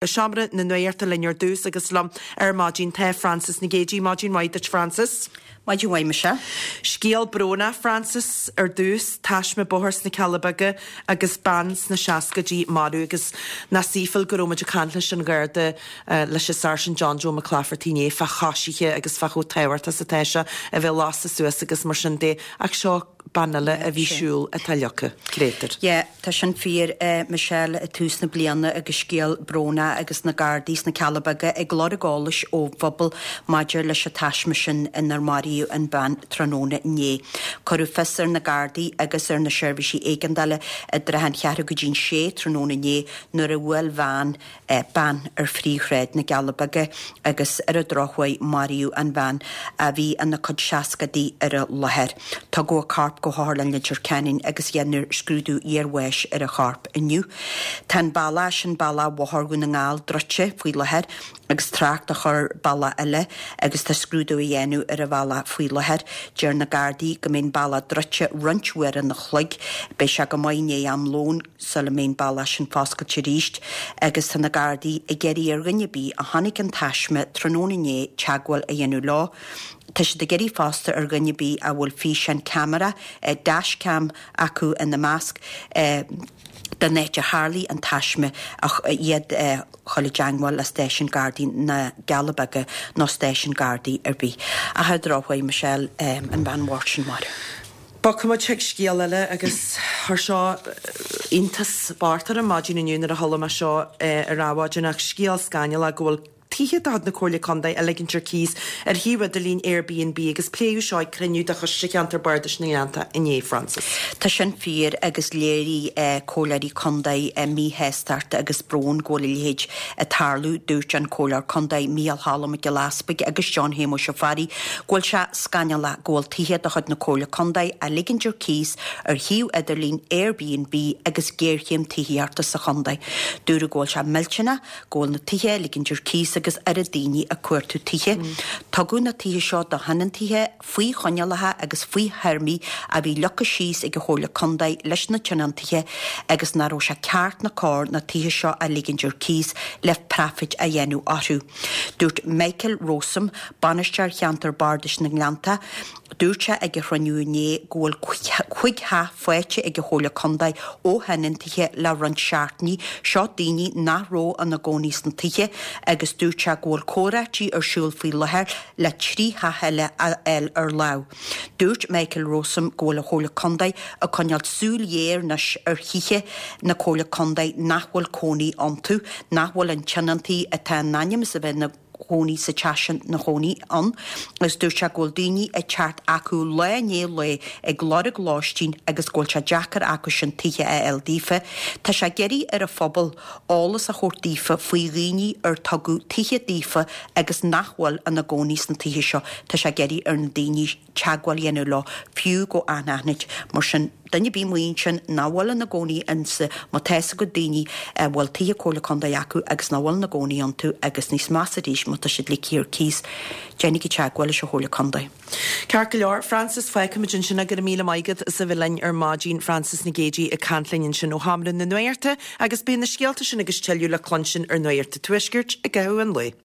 Seomra na Nuachta linn ar dtús agus liom ar maidin tá Frances Nic Géadaigh. Maidin mhaith duit Frances. Maidin mhaith Michelle. Scéal brónach Frances ar dtús, taisme bóthair sna Cealla Beaga agus bean sna seascaidí marbh agus nach saoithiúil go raibh muid ag caint leis an Gharda leis an Sáirsint John Joe McClafferty inné fá choisithe agus fá chomh tábhachtach is atá sé a bheith lasta suas agus mar sin de ach seo bean eile a bhí ag siúl atá leagtha, créatúr. Yeah, tá sin fíor, Michelle, i tús na bliana agus scéal brónach agus na Gardaí sna Cealla Beaga ag lorg eolais ón bpobal maidir leis an taisme sin inar maraíodh an bhean tráthnóna inné. Cuireadh fios ar na Gardaí agus ar na seirbhísí éigeandála i dtrátha an cheathrú go dtí'n sé tráthnóna inné nuair a bhuail veain bean ar phríomhshráid na gCealla Beaga agus ar an drochuair maraíodh an bhean a bhí ina cuid seascadaí ar an láthair. Tugadh a corp go hOtharlann Leitir Ceanainn agus dhéanfar scrúdú iarbháis ar a chorp inniu. Tá an bealach sin, bealach Bhóthar Dhún na nGall, druidte faoi láthair agus trácht á chur ar bealach eile agus tá scrúdú á dhéanamh ar an bhealach faoi láthair. Deir na Gardaí go mbeidh an bealach druidte roinnt uaire an chloig. Beidh sé go maith i ndiaidh am lóin. sula mbeidh an bealach sin foscailte arís agus tá na Gardaí ag iarraidh ar dhuine ar bith a chonaic an taisme tráthnóna inné teagmháil a dhéanamh leo. Tá siad ag iarraidh fosta ar dhuine ar bith a bhfuil físeán ceamara, dashcam, acu ina measc, den áit ar tharlaigh an taisme iad a chur i dteagmháil le stáisiún Gardaí na gCealla Beaga nó stáisiún Gardaí ar bith. Ach ar an drochuair, Michelle, an bhean bhocht sin marbh. Bogfaidh muid chuig scéal eile agus chuir seo iontas bocht orm maidin inniu nuair a chuala mé seo ar adhmhaidin ach scéal scannalach go bhfuil tithe de chuid na Comhairle Contae á ligint ar cíos ar shuíomh idirlín Airbnb agus pléadh seo ag cruinniú de Choiste Cheantar Bardais na nGleanntach inné, Frances. Tá sin fíor agus léirigh Comhairleoirí Contae míshástacht agus brón go bhfuil a leithéid ag tarlú. Dúirt an Comhairleoir Contae Micheál Cholm Mac Giolla Easpaig agus John Shéamuis Ó Fearraigh go bhfuil sé scannalach go bhfuil tithe de chuid na Comhairle Contae á ligint ar cíos ar shuíomh idirlín Airbnb agus géarchéim tithíochta sa chontae. Dúradh go bhfuil sé millteanach go bhfuil na tithe á ligint ar cíos agus oiread daoine ag cuartú tithe. Tugadh na tithe seo do thionóntaithe faoi choinníollacha agus faoi théarmaí a bhí leagtha síos ag an Chomhairle Contae leis na tionóntaithe agus nach raibh sé ceart ná cóir na tithe seo a ligint ar cíos le praifit a dhéanamh orthu. Dúirt Michael Rowsome, Bainisteoir Cheantar Bardais na nGleannta, dúirt sé ag an chruinniú inné go bhfuil chuig theach faighte ag an Chomhairle Contae ó thionóntaithe le roinnt seachtainí, seo daoine nach raibh ina gcónaí sna tithe, agus dúirt sé go bhfuil comhráití ar siúl faoi láthair le 3 theach eile a fháil ar lámh. Dúirt Michael Rowsome go bhfuil an Chomhairle Contae ag coinneáil súil ghéar anois ar thithe na Comhairle Contae nach bhfuil cónaí iontu, nach bhfuil an tionóntaí atá in ainm is a bheith ina gcónaí sa teach sin ina chónaí ann agus dúirt sé go bhfuil daoine ag teacht acu lá i ndiaidh lae ag lorg lóistín agus go bhfuil sé deacair acu sin tithe a fháil daofa. Tá sé ag iarraidh ar an phobal eolas a thabhairt daofa faoi dhaoine ar tugadh tithe daofa agus nach bhfuil ina gcónaí sna tithe seo. Tá sé ag iarraidh ar na daoine teagmháil a dhéanamh leo, fiú go anaithnid. Mar sin, duine ar bith amuigh ansin nach bhfuil ina gcónaí insa, má tá fhios agat daoine a bhfuil tithe Comhairle Contae acu agus nach bhfuil ina gcónaí iontu agus níos measa arís má tá siad ligthe ar cíos, déanaigí teagmháil leis an Chomhairle Contae. Ceart go leor, Frances, fágfaimid ansin é. Go raibh míle maith agat as a bheith linn ar maidin. Frances Nic Géadaigh ag caint linn ansin ó Sheomra na Nuachta agus beidh na scéalta sin agus tuilleadh le cluinstin ar Nuacht an Tuaiscirt i gcaitheamh an lae.